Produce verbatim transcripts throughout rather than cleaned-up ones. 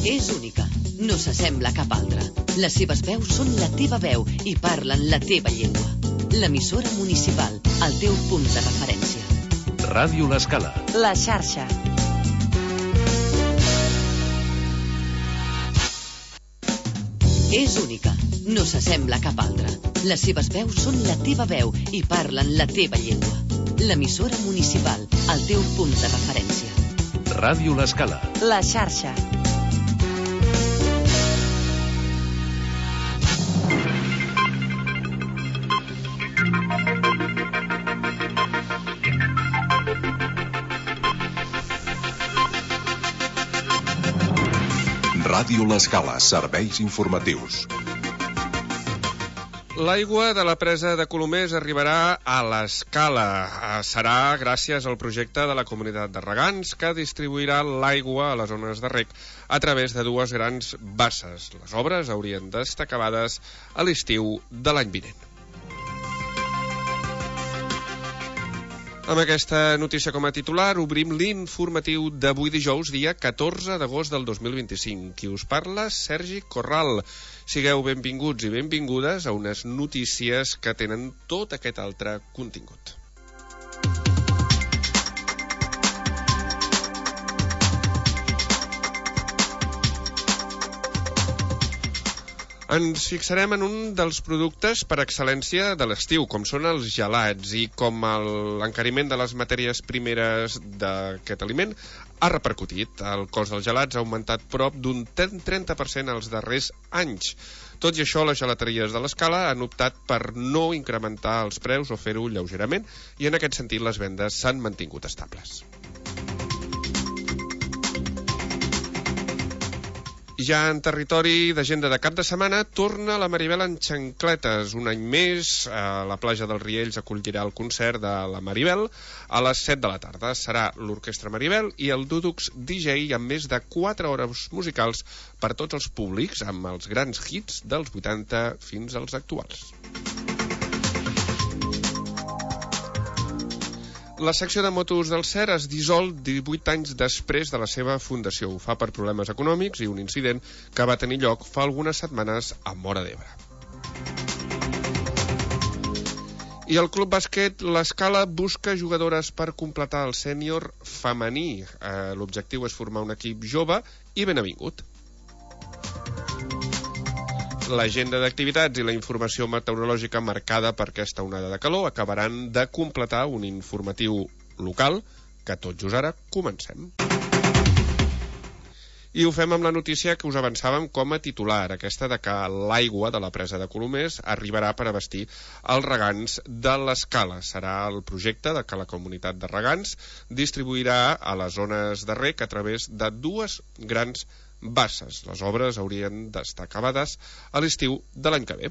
És única, no s'assembla a cap altra. Les seves veus són la teva veu i parlen la teva llengua. L'emissora municipal, el teu punt de referència. Ràdio L'Escala. La xarxa. És única, no s'assembla a cap altra. Les seves veus són la teva veu i parlen la teva llengua. L'emissora municipal, el teu punt de referència. Ràdio L'Escala. La xarxa. Ràdio L'Escala, serveis informatius. L'aigua de la presa de Colomers arribarà a l'Escala. Serà gràcies al projecte de la Comunitat de Regants, que distribuirà l'aigua a les zones de reg a través de dues grans basses. Les obres haurien d'estar acabades a l'estiu de l'any vinent. Amb aquesta notícia com a titular, obrim l'informatiu d'avui dijous, dia catorze d'agost del dos mil vint-i-cinc. Qui us parla, Sergi Corral. Sigueu benvinguts i benvingudes a unes notícies que tenen tot aquest altre contingut. Ens fixarem en un dels productes per excel·lència de l'estiu, com són els gelats, i com l'encariment de les matèries primeres d'aquest aliment ha repercutit. El cost dels gelats ha augmentat prop d'un trenta per cent els darrers anys. Tot i això, les gelateries de l'Escala han optat per no incrementar els preus o fer-ho lleugerament, i en aquest sentit les vendes s'han mantingut estables. Ja en territori d'agenda de cap de setmana, torna la Maribel en xancletes. Un any més, a la platja dels Riells acollirà el concert de la Maribel a les set de la tarda. Serà l'Orquestra Maribel i el Dudux D J amb més de quatre hores musicals per tots els públics, amb els grans hits dels vuitanta fins als actuals. La secció de motos del S E R es dissol divuit anys després de la seva fundació. Ho fa per problemes econòmics i un incident que va tenir lloc fa algunes setmanes a Móra d'Ebre. I el Club Bàsquet L'Escala busca jugadores per completar el sènior femení. Eh, l'objectiu és formar un equip jove i ben avingut. L'agenda d'activitats i la informació meteorològica marcada per aquesta onada de calor acabaran de completar un informatiu local que tot just ara comencem. I ho fem amb la notícia que us avançàvem com a titular, aquesta de que l'aigua de la presa de Colomers arribarà per abastir els regants de l'Escala. Serà el projecte de que la Comunitat de Regants distribuirà a les zones de reg a través de dues grans basses. Les obres haurien d'estar acabades a l'estiu de l'any que ve.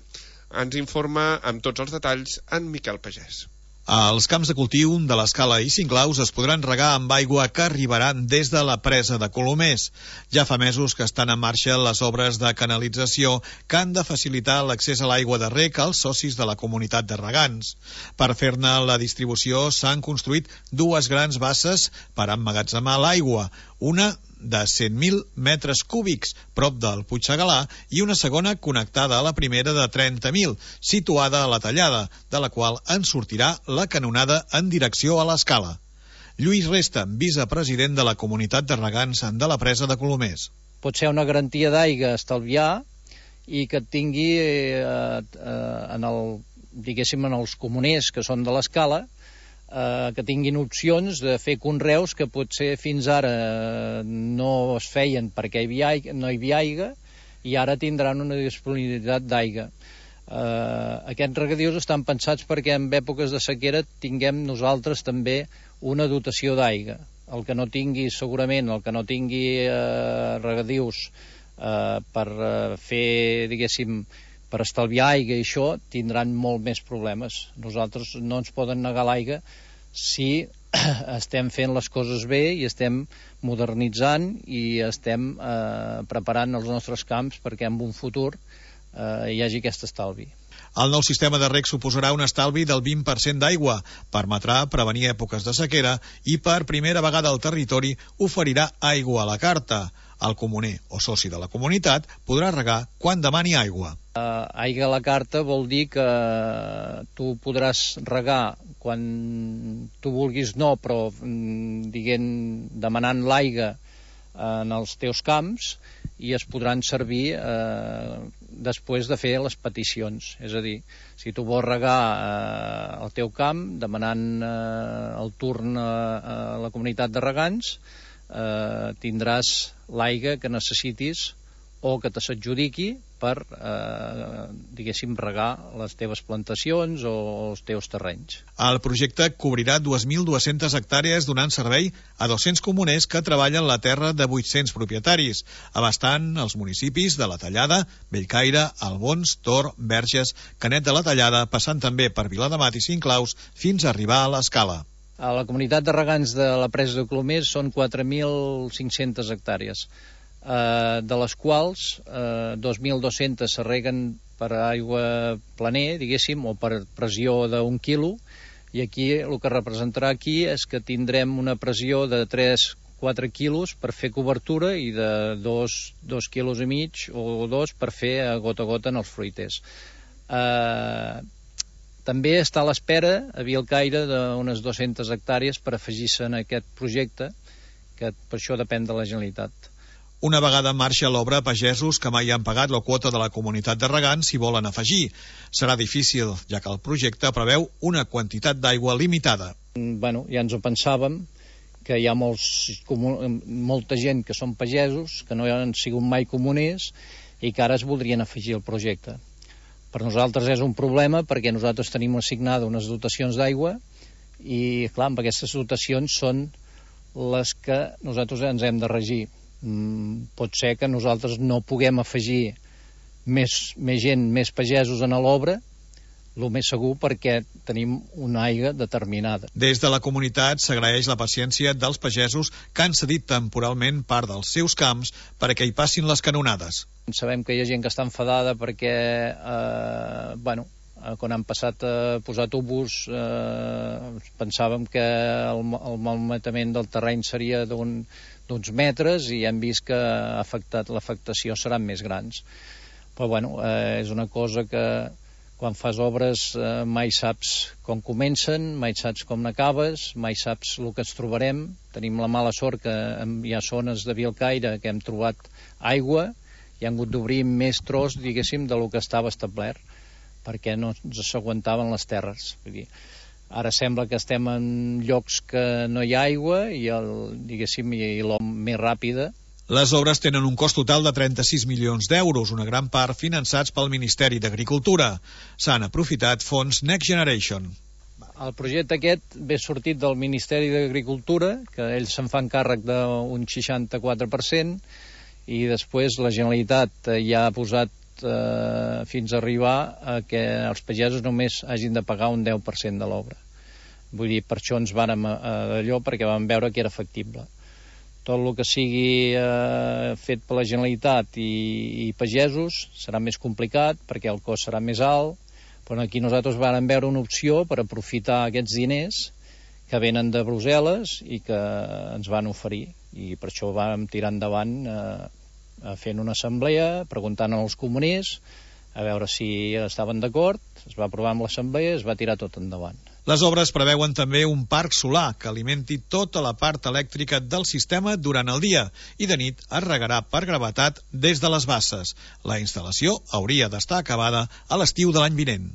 Ens informa amb tots els detalls en Miquel Pagès. Els camps de cultiu de l'Escala i Cinclaus es podran regar amb aigua que arribaran des de la presa de Colomers. Ja fa mesos que estan en marxa les obres de canalització que han de facilitar l'accés a l'aigua de reg als socis de la Comunitat de Regants. Per fer-ne la distribució s'han construït dues grans basses per emmagatzemar l'aigua, una de cent mil metres cúbics, prop del Puigsegalà, i una segona connectada a la primera de trenta mil, situada a la tallada, de la qual en sortirà la canonada en direcció a l'Escala. Lluís Resta, vicepresident de la Comunitat de Regants de la presa de Colomers. Pot ser una garantia d'aigua estalviar i que tingui eh, eh, en el, diguéssim, en els comuners que són de l'Escala, Eh, que tinguin opcions de fer conreus que potser fins ara no es feien perquè hi havia aigua, no hi havia aigua, i ara tindran una disponibilitat d'aigua. Eh, aquests regadius estan pensats perquè en èpoques de sequera tinguem nosaltres també una dotació d'aigua. El que no tingui, segurament, el que no tingui eh, regadius eh, per eh, fer, diguéssim, per estalviar aigua i això, tindran molt més problemes. Nosaltres no ens poden negar l'aigua si estem fent les coses bé i estem modernitzant i estem eh, preparant els nostres camps perquè en un futur eh, hi hagi aquest estalvi. El nou sistema de reg suposarà un estalvi del vint per cent d'aigua, permetrà prevenir èpoques de sequera i per primera vegada el territori oferirà aigua a la carta. El comuner o soci de la comunitat podrà regar quan demani aigua. Uh, aigua a la carta vol dir que tu podràs regar quan tu vulguis, no, però diguem, demanant l'aigua en els teus camps, i es podran servir eh, després de fer les peticions. És a dir, si tu vols regar eh, el teu camp demanant eh, el turn a, a la comunitat de regants, eh, tindràs l'aigua que necessitis o que te s'adjudiqui per, eh, diguéssim, regar les teves plantacions o els teus terrenys. El projecte cobrirà dos mil dues-centes hectàrees donant servei a dos-cents comuners que treballen la terra de vuit-cents propietaris, abastant els municipis de la Tallada, Bellcaire, Albons, Tor, Verges, Canet de la Tallada, passant també per Viladamat i Cinclaus fins a arribar a l'Escala. A la comunitat de regants de la presa de Colomers són quatre mil cinc-centes hectàrees, eh, de les quals eh, dos mil dos-centes se reguen per aigua planer, diguéssim, o per pressió d'un quilo, i aquí el que representarà aquí és que tindrem una pressió de tres a quatre quilos per fer cobertura i de dos, dos quilos i mig o dos per fer a gota a gota en els fruiters. Eh, també està a l'espera a Vilcaire d'unes dues-centes hectàrees per afegir-se en aquest projecte, que per això depèn de la Generalitat. Una vegada en marxa l'obra, pagesos que mai han pagat la quota de la comunitat de regants s'hi volen afegir. Serà difícil, ja que el projecte preveu una quantitat d'aigua limitada. Bueno, ja ens ho pensàvem, que hi ha molts, molta gent que són pagesos, que no han sigut mai comuners i que ara es voldrien afegir al projecte. Per nosaltres és un problema perquè nosaltres tenim assignada unes dotacions d'aigua i, clar, amb aquestes dotacions són les que nosaltres ens hem de regir. Mm, pot ser que nosaltres no puguem afegir més, més gent, més pagesos en l'obra, el més segur perquè tenim una aigua determinada. Des de la comunitat s'agraeix la paciència dels pagesos que han cedit temporalment part dels seus camps perquè hi passin les canonades. Sabem que hi ha gent que està enfadada perquè eh, bueno, quan han passat a posar tubos eh, pensàvem que el, el malmetament del terreny seria d'un, d'uns metres i hem vist que ha afectat, l'afectació seran més grans. Però bueno, eh, és una cosa que quan fas obres eh, mai saps com comencen, mai saps com n'acabes, mai saps el que ens trobarem. Tenim la mala sort que hi ha zones de Vilcaire que hem trobat aigua i han hagut d'obrir més tros, diguéssim, de lo que estava establert, perquè no ens s'aguantaven les terres. Vull dir, ara sembla que estem en llocs que no hi ha aigua i, el, diguéssim, i l'hom més ràpida. Les obres tenen un cost total de trenta-sis milions d'euros, una gran part finançats pel Ministeri d'Agricultura. S'han aprofitat fons Next Generation. El projecte aquest ve sortit del Ministeri d'Agricultura, que ells se'n fan càrrec d'un seixanta-quatre per cent, i després la Generalitat ja ha posat eh, fins a arribar a que els pagesos només hagin de pagar un deu per cent de l'obra. Vull dir, per això ens vàrem d'allò, perquè vam veure que era factible. Tot el que sigui eh, fet per la Generalitat i, i pagesos serà més complicat perquè el cost serà més alt, però aquí nosaltres vam veure una opció per aprofitar aquests diners que venen de Brussel·les i que ens van oferir, i per això vam tirar endavant eh, fent una assemblea, preguntant als comuners a veure si estaven d'acord. Es va aprovar amb l'assemblea i es va tirar tot endavant. Les obres preveuen també un parc solar que alimenti tota la part elèctrica del sistema durant el dia i de nit es regarà per gravetat des de les basses. La instal·lació hauria d'estar acabada a l'estiu de l'any vinent.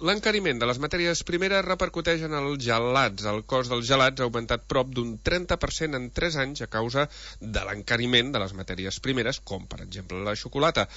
L'encariment de les matèries primeres repercuteix en els gelats. El cost dels gelats ha augmentat prop d'un trenta per cent en tres anys a causa de l'encariment de les matèries primeres, com per exemple la xocolata.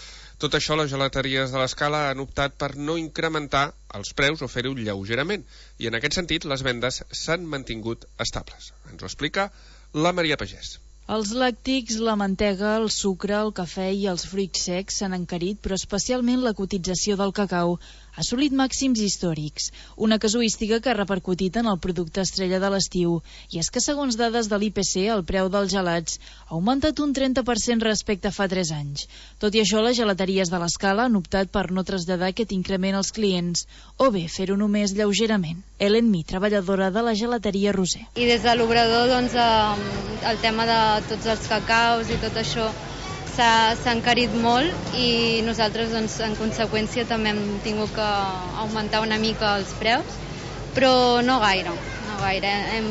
Tot això, les gelateries de l'Escala han optat per no incrementar els preus o fer-ho lleugerament, i en aquest sentit les vendes s'han mantingut estables. Ens ho explica la Maria Pagès. Els làctics, la mantega, el sucre, el cafè i els fruits secs s'han encarit, però especialment la cotització del cacau ha assolit màxims històrics, una casuística que ha repercutit en el producte estrella de l'estiu, i és que segons dades de l'I P C el preu dels gelats ha augmentat un trenta per cent respecte a fa tres anys. Tot i això, les gelateries de l'Escala han optat per no traslladar aquest increment als clients, o bé fer-ho només lleugerament. Ellen Mi, treballadora de la gelateria Roser. I des de l'obrador, doncs, el tema de tots els cacaus i tot això s'ha encarit molt i nosaltres, doncs, en conseqüència també hem tingut que augmentar una mica els preus, però no gaire, no gaire. Hem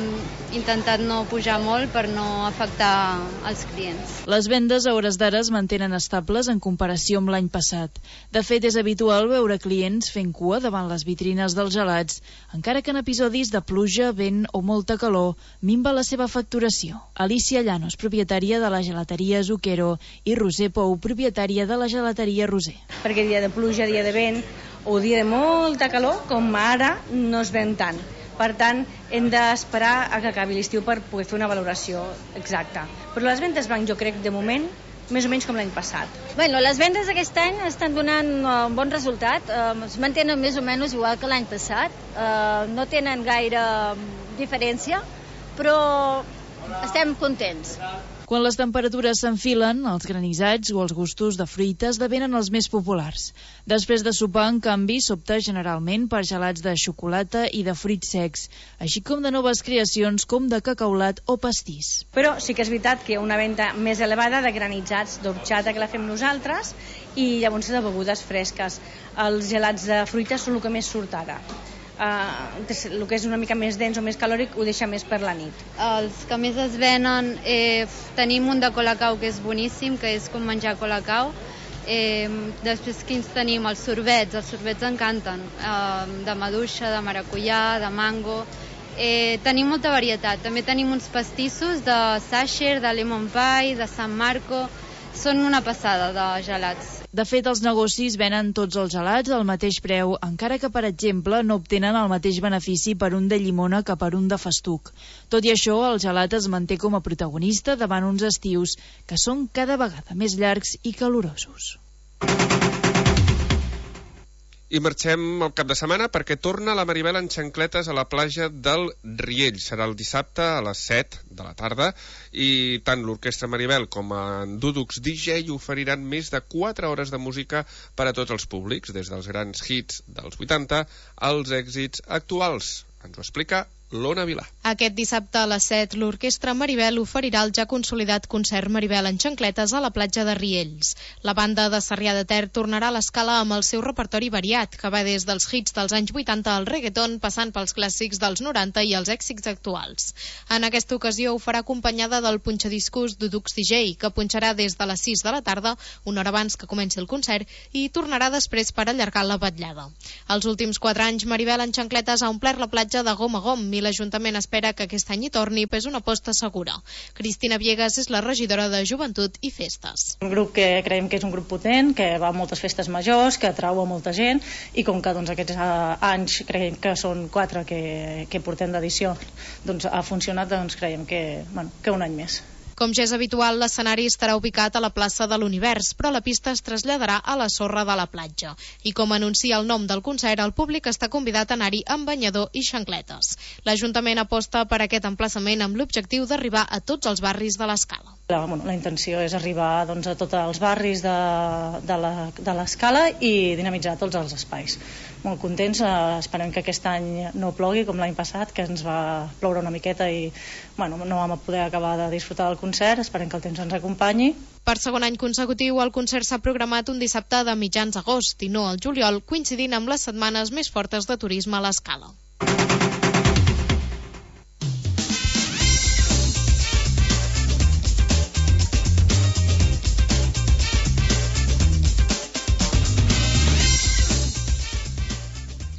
intentat no pujar molt per no afectar els clients. Les vendes a hores d'ara es mantenen estables en comparació amb l'any passat. De fet, és habitual veure clients fent cua davant les vitrines dels gelats, encara que en episodis de pluja, vent o molta calor minva la seva facturació. Alicia Llanos, propietària de la gelateria Zucchero, i Roser Pou, propietària de la gelateria Roser. Perquè dia de pluja, dia de vent o dia de molta calor, com ara, no es ven tant. Per tant, hem d'esperar a que acabi l'estiu per poder fer una valoració exacta. Però les vendes van, jo crec, de moment, més o menys com l'any passat. Bueno, les vendes aquest any estan donant un bon resultat. Uh, es mantenen més o menys igual que l'any passat. Uh, no tenen gaire diferència, però estem contents. Quan les temperatures s'enfilen, els granissats o els gustos de fruita esdevenen els més populars. Després de sopar, en canvi, s'opta generalment per gelats de xocolata i de fruits secs, així com de noves creacions com de cacaulat o pastís. Però sí que és veritat que hi ha una venda més elevada de granissats d'orxata que la fem nosaltres i llavors de begudes fresques. Els gelats de fruita són el que més surt ara. Uh, el que és una mica més dens o més calòric ho deixa més per la nit. Els que més es venen, eh, tenim un de colacau que és boníssim, que és com menjar colacau. Eh, després quins tenim? Els sorbets, els sorbets encanten, eh, de maduixa, de maracuyà, de mango. Eh, tenim molta varietat. També tenim uns pastissos de Sacher, de lemon pie, de San Marco. Són una passada de gelats. De fet, els negocis venen tots els gelats al mateix preu, encara que, per exemple, no obtenen el mateix benefici per un de llimona que per un de festuc. Tot i això, el gelat es manté com a protagonista davant uns estius que són cada vegada més llargs i calorosos. I marxem al cap de setmana perquè torna la Maribel en xancletes a la platja del Riell. Serà el dissabte a les set de la tarda i tant l'Orquestra Maribel com en Dúdux D J oferiran més de quatre hores de música per a tots els públics, des dels grans hits dels vuitanta als èxits actuals. Ens ho explica l'Ona Vilà. Aquest dissabte a les set, l'Orquestra Maribel oferirà el ja consolidat concert Maribel en xancletes a la platja de Riells. La banda de Sarrià de Ter tornarà a l'escala amb el seu repertori variat, que va des dels hits dels anys vuitanta al reggaeton, passant pels clàssics dels noranta i els èxits actuals. En aquesta ocasió ho farà acompanyada del punxadiscos Dudux D J, que punxarà des de les sis de la tarda, una hora abans que comenci el concert, i tornarà després per allargar la vetllada. Els últims quatre anys, Maribel en xancletes ha omplert la platja de gom a gom i l'Ajuntament espera que aquest any hi torni, però és una aposta segura. Cristina Viegas és la regidora de Joventut i Festes. Un grup que creiem que és un grup potent, que va a moltes festes majors, que atrau a molta gent, i com que doncs, aquests uh, anys creiem que són quatre que, que portem d'edició, doncs ha funcionat, doncs creiem que, bueno, que un any més. Com ja és habitual, l'escenari estarà ubicat a la plaça de l'Univers, però la pista es traslladarà a la sorra de la platja. I com anuncia el nom del concert, el públic està convidat a anar-hi amb banyador i xancletes. L'Ajuntament aposta per aquest emplaçament amb l'objectiu d'arribar a tots els barris de l'Escala. La, bueno, la intenció és arribar doncs, a tots els barris de, de l'Escala i dinamitzar tots els espais. Molt contents, eh, esperem que aquest any no plogui com l'any passat, que ens va ploure una miqueta i bueno, no vam poder acabar de disfrutar del concert, esperem que el temps ens acompanyi. Per segon any consecutiu, el concert s'ha programat un dissabte de mitjans d'agost i no al juliol, coincidint amb les setmanes més fortes de turisme a l'Escala.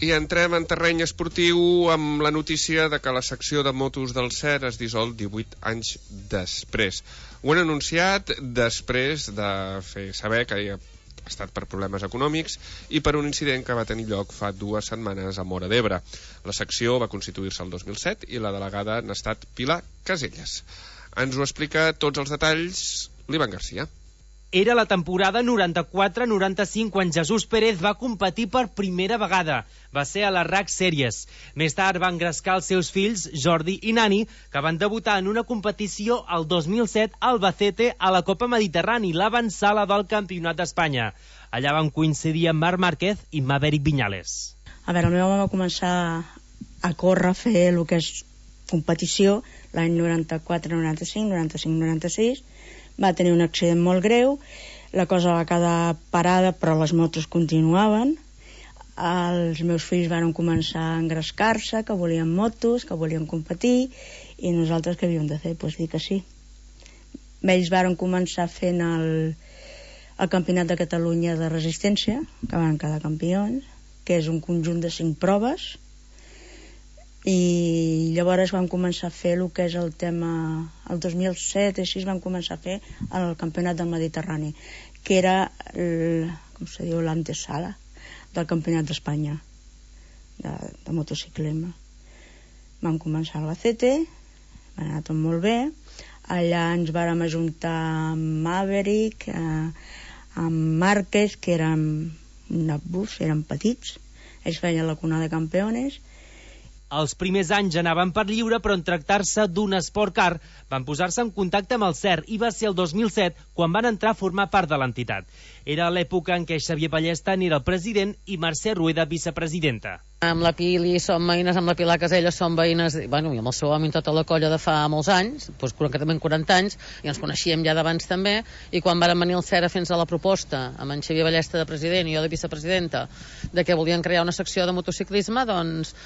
I entrem en terreny esportiu amb la notícia de que la secció de motos del C E R es dissol divuit anys després. Ho han anunciat després de fer saber que hi ha estat per problemes econòmics i per un incident que va tenir lloc fa dues setmanes a Móra d'Ebre. La secció va constituir-se el dos mil set i la delegada n'ha estat Pilar Caselles. Ens ho explica tots els detalls l'Ivan Garcia. Era la temporada noranta-quatre noranta-cinc quan Jesús Pérez va competir per primera vegada. Va ser a la R A C Sèries. Més tard va engrescar els seus fills, Jordi i Nani, que van debutar en una competició el dos mil set a Albacete a la Copa Mediterrani, l'avantsala del Campionat d'Espanya. Allà van coincidir amb Marc Márquez i Maverick Viñales. A veure, el meu home va començar a córrer, a fer el que és competició, l'any noranta-quatre noranta-cinc, noranta-cinc noranta-sis, va tenir un accident molt greu, la cosa va quedar parada però les motos continuaven, els meus fills van començar a engrescar-se, que volien motos, que volien competir, i nosaltres què havíem de fer? Doncs dir que sí. Ells van començar fent el, el Campionat de Catalunya de Resistència, que van quedar campions, que és un conjunt de cinc proves, i llavors van començar a fer el que és el tema el dos mil set, així van començar a fer el Campionat del Mediterrani, que era el, com se diu, l'antesala del Campionat d'Espanya de, de motociclisme. Vam començar a Albacete, va anar tot molt bé, allà ens vàrem ajuntar amb Maverick, eh, amb Márquez, que eren nabús, eren petits, ells feien la cuna de campeones. Els primers anys anaven per lliure, però en tractar-se d'un esport car van posar-se en contacte amb el C E R i va ser el dos mil set quan van entrar a formar part de l'entitat. Era l'època en què Xavier Ballesta n'era el president i Mercè Rueda vicepresidenta. Amb la Pili som veïnes, amb la Pilar Caselles som veïnes, bueno, i amb el seu home i tota la colla de fa molts anys, doncs concretament quaranta anys, i ens coneixíem ja d'abans també, i quan varen venir el C E R a fer-nos la proposta, amb en Xavier Ballesta de president i jo de vicepresidenta, de que volien crear una secció de motociclisme, doncs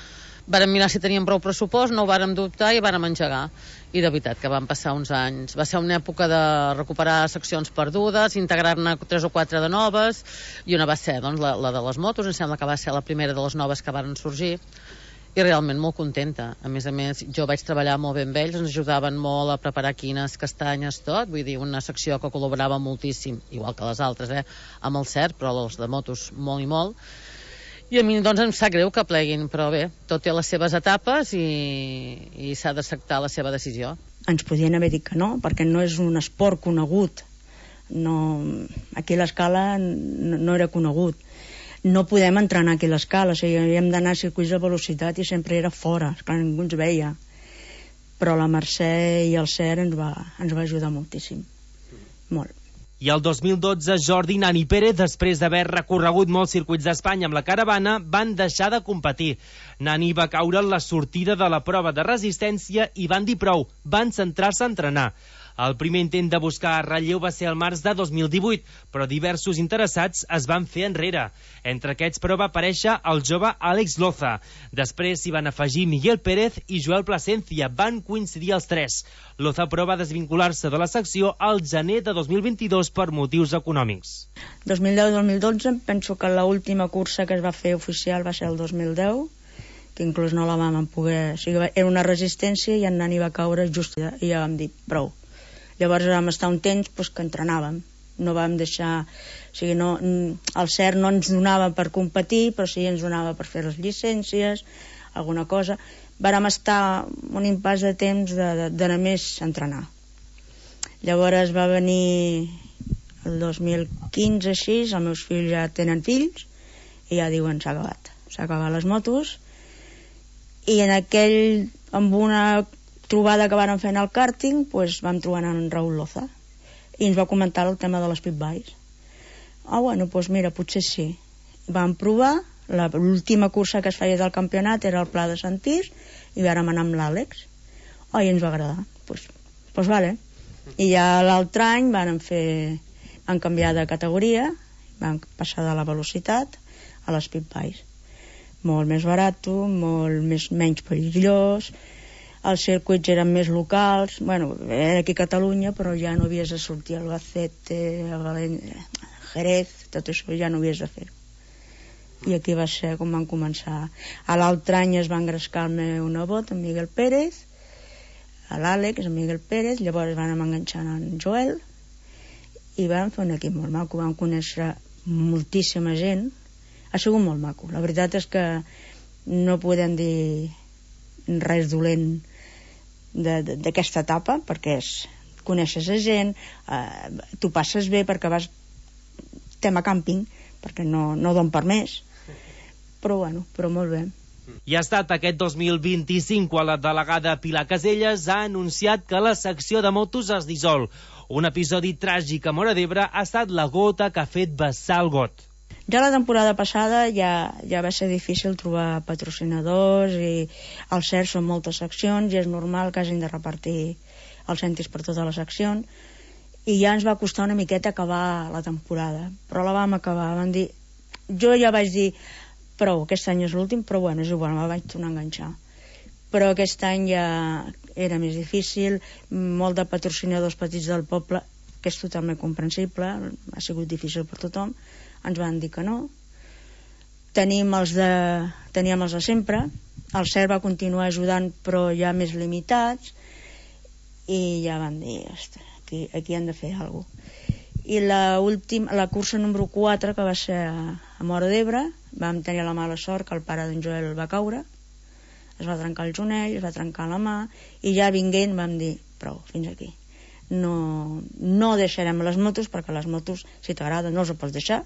vàrem mirar si teníem prou pressupost, no ho vàrem dubtar i vàrem engegar. I de veritat que van passar uns anys. Va ser una època de recuperar seccions perdudes, integrar-ne tres o quatre de noves, i una va ser doncs, la, la de les motos, em sembla que va ser la primera de les noves que varen sorgir, i realment molt contenta. A més a més, jo vaig treballar molt bé amb ells, ens ajudaven molt a preparar quines, castanyes, tot, vull dir, una secció que col·laborava moltíssim, igual que les altres, eh, amb el C E R, però els de motos molt i molt. I a mi doncs em sap greu que pleguin, però bé, tot té les seves etapes i, i s'ha d'acceptar la seva decisió. Ens podien haver dit que no, perquè no és un esport conegut. No, aquí a l'Escala no, no era conegut. No podem entrenar aquí a l'Escala, o sigui, havíem d'anar a circuits de velocitat i sempre era fora, esclar, ningú ens veia. Però la Mercè i el C E R ens va, ens va ajudar moltíssim. Molt. I el dos mil dotze, Jordi i Nani Pérez, després d'haver recorregut molts circuits d'Espanya amb la caravana, van deixar de competir. Nani va caure en la sortida de la prova de resistència i van dir prou, van centrar-se a entrenar. El primer intent de buscar relleu va ser el març de dos mil divuit, però diversos interessats es van fer enrere. Entre aquests, però, va aparèixer el jove Àlex Loza. Després s'hi van afegir Miguel Pérez i Joel Plasencia. Van coincidir els tres. Loza, però, va desvincular-se de la secció al gener de dos mil vint-i-dos per motius econòmics. dos mil deu dos mil dotze, penso que l'última cursa que es va fer oficial va ser el dos mil deu, que inclús no la vam poder... O sigui, era una resistència i en Nani va caure just i ja vam dir prou. Llavors vam estar un temps pues, que entrenàvem, no vam deixar, o sigui, no, el C E R no ens donava per competir, però sí ens donava per fer les llicències, alguna cosa. Vàrem estar un impàs de temps d'anar més a entrenar. Llavors va venir el dos mil quinze, així, els meus fills ja tenen fills, i ja diuen s'ha acabat, s'ha acabat les motos, i en aquell, amb una trobada que van fer en el kàrting, pues, vam trobar en Raúl Loza i ens va comentar el tema de les pit bikes. Ah, bueno, doncs mira, potser sí. Vam provar, l'última cursa que es feia del campionat era el Pla de Sant Tir i vàrem anar amb l'Àlex. Oh, i ens va agradar. Doncs pues, pues vale. I ja l'altre any van fer, van canviar de categoria, van passar de la velocitat a les pit bikes. Molt més barat, molt més, menys perillós, els circuits eren més locals, bueno, era aquí a Catalunya, però ja no havies de sortir a Albacete, a València, a Jerez, tot això ja no havies de fer. I aquí va ser com van començar. A l'altre any es va engrescar el meu nebot, en Miguel Pérez, a l'Àlex, en Miguel Pérez, llavors van enganxar en Joel, i vam fer un equip molt maco, vam conèixer moltíssima gent, ha sigut molt maco. La veritat és que no podem dir res dolent d'aquesta etapa, perquè és, coneixes a gent, eh, tu passes bé perquè vas tema càmping, perquè no, no don per més, però bueno, però molt bé. I ha estat aquest dos mil vint-i-cinc quan la delegada Pilar Caselles ha anunciat que la secció de motos es dissol. Un episodi tràgic a Móra d'Ebre ha estat la gota que ha fet vessar el got. Ja la temporada passada ja, ja va ser difícil trobar patrocinadors i al cert són moltes seccions i és normal que hagin de repartir els cèntims per totes les seccions i ja ens va costar una miqueta acabar la temporada, però la vam acabar, vam dir, jo ja vaig dir prou, aquest any és l'últim, però bueno, és igual, me vaig tornar a enganxar. Però aquest any ja era més difícil, molt de patrocinadors petits del poble, que és totalment comprensible, ha sigut difícil per tothom, ens van dir que no. Tenim els de, teníem els de sempre, el C E R va continuar ajudant, però ja més limitats, i ja van dir, ostres, aquí, aquí han de fer alguna cosa. I la, última, la cursa número quatre, que va ser a, a Móra d'Ebre, vam tenir la mala sort que el pare d'en Joel va caure, es va trencar el jonell, es va trencar la mà, i ja vinguent vam dir, prou, fins aquí. No, no deixarem les motos, perquè les motos, si t'agrada, no els pots deixar,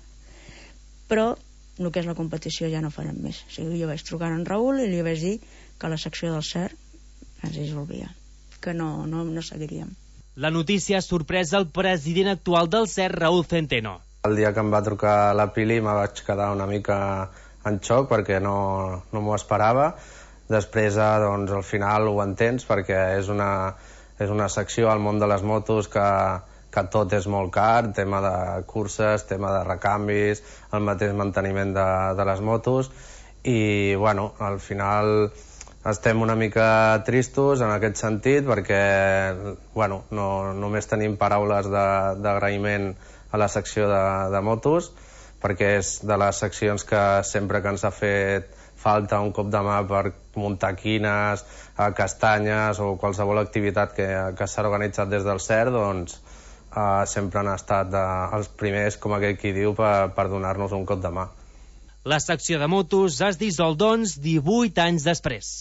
però el que és la competició ja no farem més. O sigui, jo vaig trucar a en Raül i li vaig dir que la secció del C E R ens dissolvia, que no, no, no seguiríem. La notícia ha sorprès el president actual del C E R, Raúl Centeno. El dia que em va trucar la Pili me vaig quedar una mica en xoc perquè no, no m'ho esperava. Després, doncs, al final ho entens perquè és una, és una secció al món de les motos que, que tot és molt car, tema de curses, tema de recanvis, el mateix manteniment de, de les motos i, bueno, al final estem una mica tristos en aquest sentit perquè, bueno, no, només tenim paraules d'agraïment a la secció de, de motos perquè és de les seccions que sempre que ens ha fet falta un cop de mà per muntar quines, castanyes o qualsevol activitat que, que s'ha organitzat des del C E R, doncs eh, sempre han estat eh, els primers, com aquell qui diu, per, per donar-nos un cop de mà. La secció de motos es dissol, doncs, divuit anys després.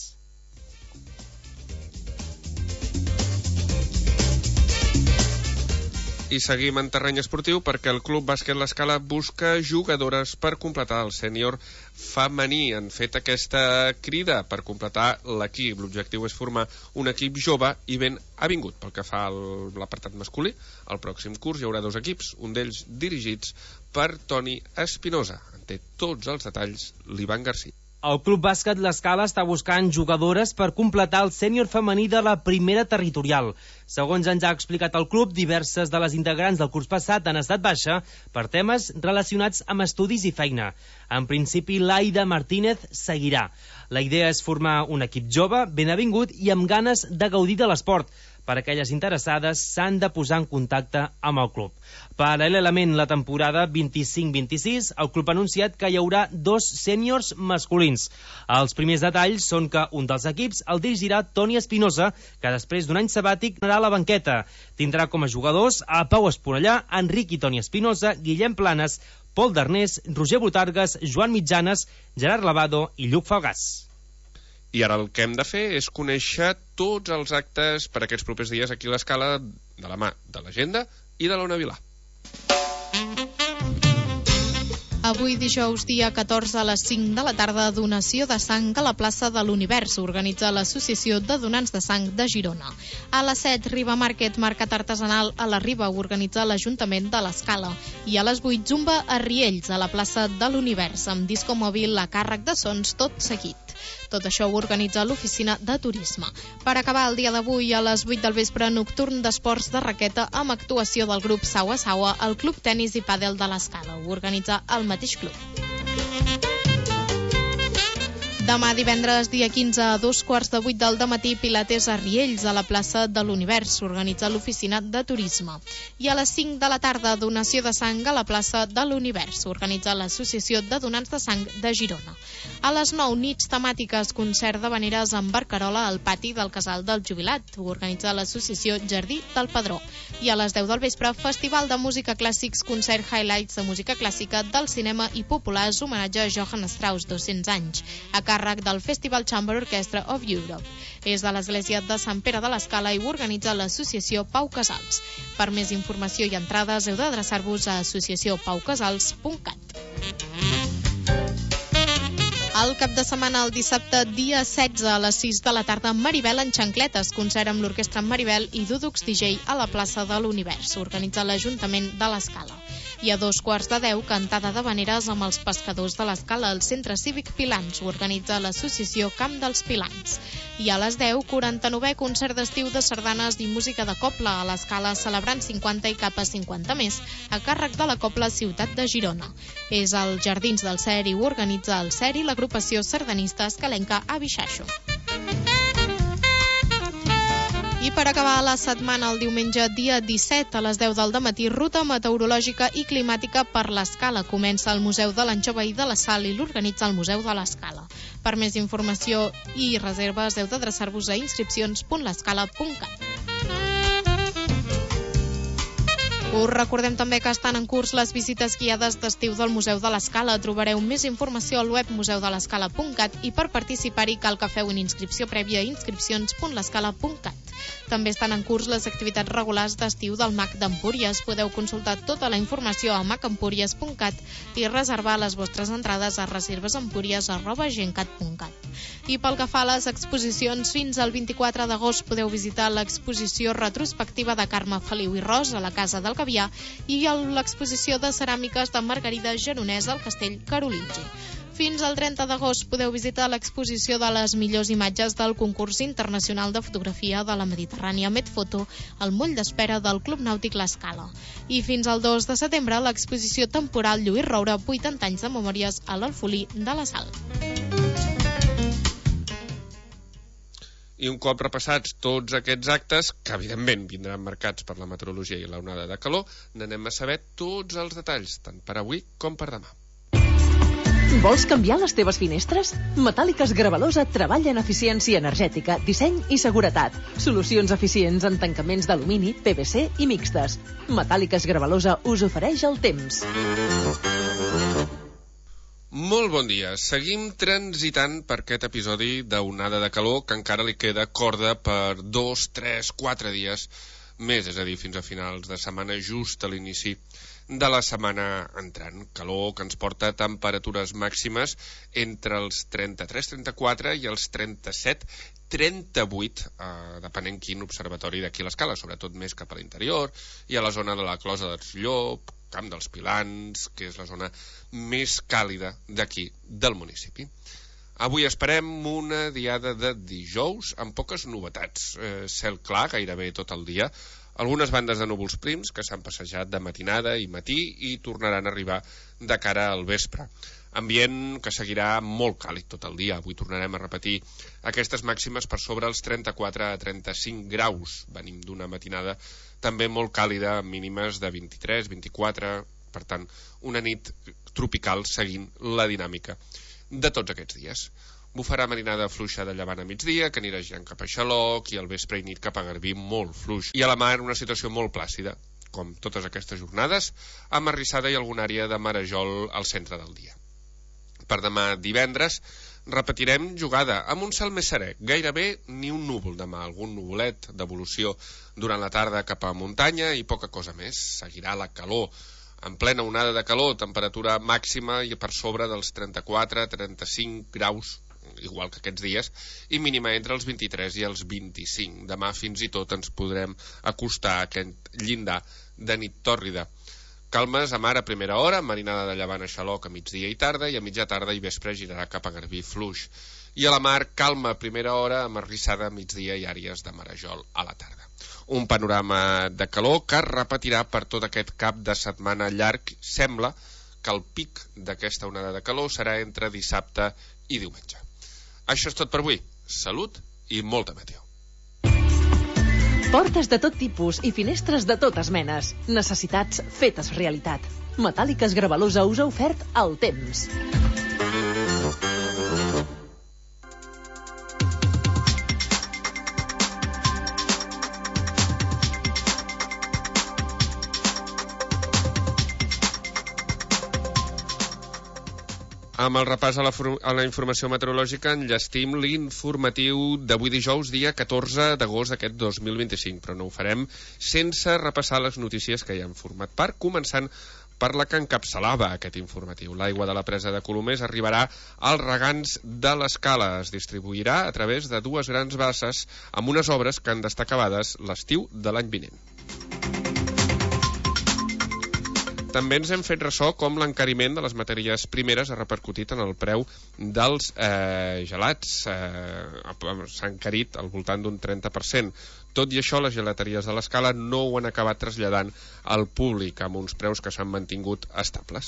I seguim en terreny esportiu perquè el Club Bàsquet L'Escala busca jugadores per completar el sènior femení. Han fet aquesta crida per completar l'equip. L'objectiu és formar un equip jove i ben avingut. Pel que fa a l'apartat masculí, al pròxim curs hi haurà dos equips, un d'ells dirigits per Toni Espinosa. En té tots els detalls l'Ivan García. El Club Bàsquet L'Escala està buscant jugadores per completar el sènior femení de la primera territorial. Segons ens ha explicat el club, diverses de les integrants del curs passat han estat baixa per temes relacionats amb estudis i feina. En principi, l'Aida Martínez seguirà. La idea és formar un equip jove, ben avingut i amb ganes de gaudir de l'esport. Per a aquelles interessades s'han de posar en contacte amb el club. Paral·lelament, la temporada vint-i-cinc vint-i-sis, el club ha anunciat que hi haurà dos sèniors masculins. Els primers detalls són que un dels equips el dirigirà Toni Espinosa, que després d'un any sabàtic anarà a la banqueta. Tindrà com a jugadors a Pau Esponellà, Enric i Toni Espinosa, Guillem Planes, Pol Darnés, Roger Botargues, Joan Mitjanes, Gerard Lavado i Lluc Falgàs. I ara el que hem de fer és conèixer tots els actes per aquests propers dies aquí a l'Escala de la mà de l'agenda i de l'Ona Vilà. Avui dijous, dia catorze a les cinc de la tarda, donació de sang a la plaça de l'Univers. Organitza l'Associació de Donants de Sang de Girona. A les set, Riba Market, mercat artesanal a la Riba, organitza l'Ajuntament de l'Escala. I a les vuit, Zumba a Riells, a la plaça de l'Univers, amb disco mòbil a càrrec de sons tot seguit. Tot això ho organitza l'Oficina de Turisme. Per acabar el dia d'avui, a les vuit del vespre, nocturn d'esports de raqueta amb actuació del grup Saua Saua al Club Tenis i Pàdel de l'Escala. Ho organitza el mateix club. Demà divendres, dia quinze, a dos quarts de vuit del dematí, Pilates a Riells, a la plaça de l'Univers, organitza l'Oficina de Turisme. I a les cinc de la tarda, donació de sang a la plaça de l'Univers, organitza l'Associació de Donants de Sang de Girona. A les nou, nits temàtiques, concert d'havaneres amb barcarola al pati del Casal del Jubilat, ho organitza l'Associació Jardí del Padró. I a les deu del vespre, Festival de Música Clàssics, concert highlights de música clàssica del cinema i populars, homenatge a Johann Strauss, dos-cents anys. A càrrec del Festival Chamber Orchestra of Europe. És de l'església de Sant Pere de l'Escala i ho organitza l'associació Pau Casals. Per més informació i entrades heu d'adreçar-vos a associació pau casals punt cat. El cap de setmana, el dissabte, dia setze, a les sis de la tarda, Maribel en xancletes, concert amb l'Orquestra Maribel i Dudux D J a la plaça de l'Univers. Organitza l'Ajuntament de l'Escala. I a dos quarts de deu, cantada d'havaneres amb els pescadors de l'Escala al Centre Cívic Pilans. Ho organitza l'associació Camp dels Pilans. I a les deu, quaranta-novè concert d'estiu de sardanes i música de cobla a l'Escala, celebrant cinquanta i cap a cinquanta més, a càrrec de la Cobla Ciutat de Girona. És als Jardins del Cer i ho organitza el Cer i l'agrupació sardanista escalenca a Bixaixo. I per acabar la setmana, el diumenge, dia disset, a les deu del dematí, ruta meteorològica i climàtica per l'Escala. Comença al Museu de l'Anxova i de la Sal i l'organitza el Museu de l'Escala. Per més informació i reserves heu d'adreçar-vos a inscripcions punt l'escala punt cat. Us recordem també que estan en curs les visites guiades d'estiu del Museu de l'Escala. Trobareu més informació al web museu de l'escala punt cat i per participar-hi cal que feu una inscripció prèvia a inscripcions punt l'escala punt cat. També estan en curs les activitats regulars d'estiu del M A C d'Empúries. Podeu consultar tota la informació a mac empúries punt cat i reservar les vostres entrades a reservesempúries arroba gencat punt cat. I pel que fa a les exposicions, fins al vint-i-quatre d'agost podeu visitar l'exposició retrospectiva de Carme Feliu i Ros a la Casa del Caviar i l'exposició de ceràmiques de Margarida Geronès al Castell Carolingi. Fins al trenta d'agost podeu visitar l'exposició de les millors imatges del concurs internacional de fotografia de la Mediterrània Medfoto al moll d'espera del Club Nàutic l'Escala. I fins al dos de setembre l'exposició temporal Lluís Roure, vuitanta anys de memòries a l'Alfolí de la Sal. I un cop repassats tots aquests actes, que evidentment vindran marcats per la meteorologia i l'onada de calor, n'anem a saber tots els detalls, tant per avui com per demà. Vols canviar les teves finestres? Metàl·liques Gravalosa treballa en eficiència energètica, disseny i seguretat. Solucions eficients en tancaments d'alumini, P V C i mixtes. Metàl·liques Gravalosa us ofereix el temps. Molt bon dia. Seguim transitant per aquest episodi d'onada de calor que encara li queda corda per dos, tres, quatre dies més, és a dir, fins a finals de setmana, just a l'inici de la setmana entrant. Calor que ens porta a temperatures màximes entre els trenta-tres trenta-quatre i els trenta-set trenta-vuit, eh, depenent quin observatori d'aquí a l'Escala, sobretot més cap a l'interior i a la zona de la Closa dels Llop, Camp dels Pilans, que és la zona més càlida d'aquí del municipi. Avui esperem una diada de dijous amb poques novetats. Eh, cel clar gairebé tot el dia, algunes bandes de núvols prims que s'han passejat de matinada i matí i tornaran a arribar de cara al vespre. Ambient que seguirà molt càlid tot el dia. Avui tornarem a repetir aquestes màximes per sobre els trenta-quatre a trenta-cinc graus. Venim d'una matinada també molt càlida, amb mínimes de vint-i-tres vint-i-quatre, per tant, una nit tropical seguint la dinàmica de tots aquests dies. Bufarà marinada fluixa de llevant a migdia, que anirà girant cap a Xaloc, i al vespre i nit cap a Garbí molt fluix. I a la mar una situació molt plàcida, com totes aquestes jornades, amb arrissada i alguna àrea de marejol al centre del dia. Per demà divendres repetirem jugada amb un cel més serè, gairebé ni un núvol demà, algun nuvolet d'evolució durant la tarda cap a muntanya i poca cosa més. Seguirà la calor, en plena onada de calor, temperatura màxima i per sobre dels trenta-quatre trenta-cinc graus, igual que aquests dies, i mínima entre els vint-i-tres i els vint-i-cinc. Demà fins i tot ens podrem acostar a aquest llindar de nit tòrrida. Calmes a mar a primera hora, marinada de llevant a Xaloc a migdia i tarda, i a mitja tarda i vespre girarà cap a Garbí fluix. I a la mar, calma a primera hora, amb arrissada a migdia i àrees de marejol a la tarda. Un panorama de calor que es repetirà per tot aquest cap de setmana llarg. Sembla que el pic d'aquesta onada de calor serà entre dissabte i diumenge. Això és tot per avui. Salut i molta meteo. Portes de tot tipus i finestres de totes menes. Necessitats fetes realitat. Metàl·liques Gravalosa us ha ofert el temps. Amb el repàs a la, a la informació meteorològica enllestim l'informatiu d'avui dijous, dia catorze d'agost d'aquest dos mil vint-i-cinc, però no ho farem sense repassar les notícies que hi han format part, començant per la que encapçalava aquest informatiu. L'aigua de la presa de Colomers arribarà als regants de l'Escala. Es distribuirà a través de dues grans basses amb unes obres que han d'estar acabades l'estiu de l'any vinent. També ens hem fet ressò com l'encariment de les matèries primeres ha repercutit en el preu dels eh, gelats. Eh, s'ha encarit al voltant d'un trenta per cent. Tot i això, les gelateries de l'Escala no ho han acabat traslladant al públic, amb uns preus que s'han mantingut estables.